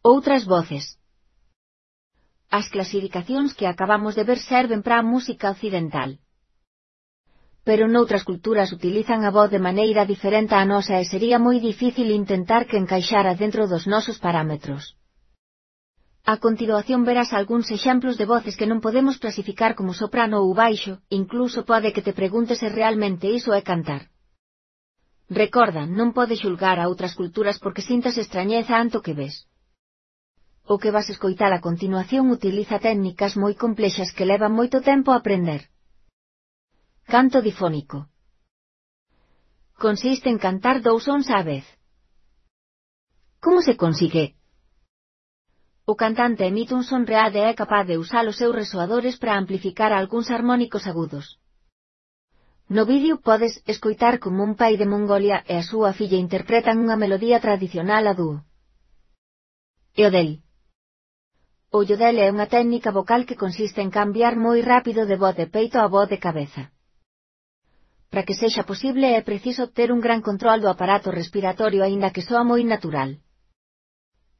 Outras voces. As clasificacións que acabamos de ver serven para a música occidental. Pero noutras culturas utilizan a voz de maneira diferente á nosa e sería moi difícil intentar que encaixara dentro dos nosos parámetros. A continuación verás algúns exemplos de voces que non podemos clasificar como soprano ou baixo, incluso pode que te preguntes se realmente iso é cantar. Recorda, non podes xulgar a outras culturas porque sintas estrañeza ante o que ves. O que vas escoitar a continuación utiliza técnicas moi complexas que levan moito tempo a aprender. Canto difónico. Consiste en cantar dous sons á vez. Como se consigue? O cantante emite un son real e é capaz de usar os seus resoadores para amplificar algúns harmónicos agudos. No vídeo podes escoitar como un pai de Mongolia e a súa filla interpretan unha melodía tradicional a dúo. Yodel. O yodel é unha técnica vocal que consiste en cambiar moi rápido de voz de peito a voz de cabeza. Para que sexa posible é preciso ter un gran control do aparato respiratorio aínda que soa moi natural.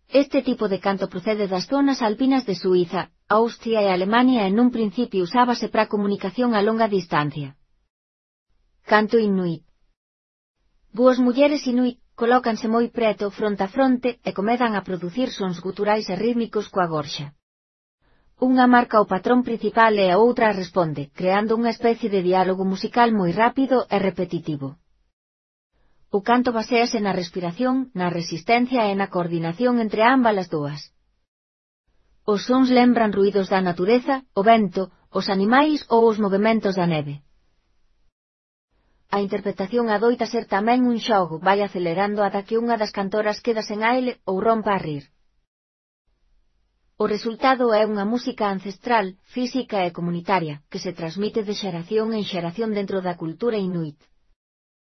Este tipo de canto procede das zonas alpinas de Suíza, Austria e Alemania e nun principio usábase para comunicación a longa distancia. Canto inuit. Dúas mulleres inuit colócanse moi preto fronte a fronte e comezan a producir sons guturais e rítmicos coa gorxa. Unha marca o patrón principal e a outra responde, creando unha especie de diálogo musical moi rápido e repetitivo. O canto baséase na respiración, na resistencia e na coordinación entre ambas as dúas. Os sons lembran ruídos da natureza, o vento, os animais ou os movementos da neve. A interpretación adoita ser tamén un xogo, vai acelerando ata que unha das cantoras queda sen aire ou rompa a rir. O resultado é unha música ancestral, física e comunitaria, que se transmite de xeración en xeración dentro da cultura inuit.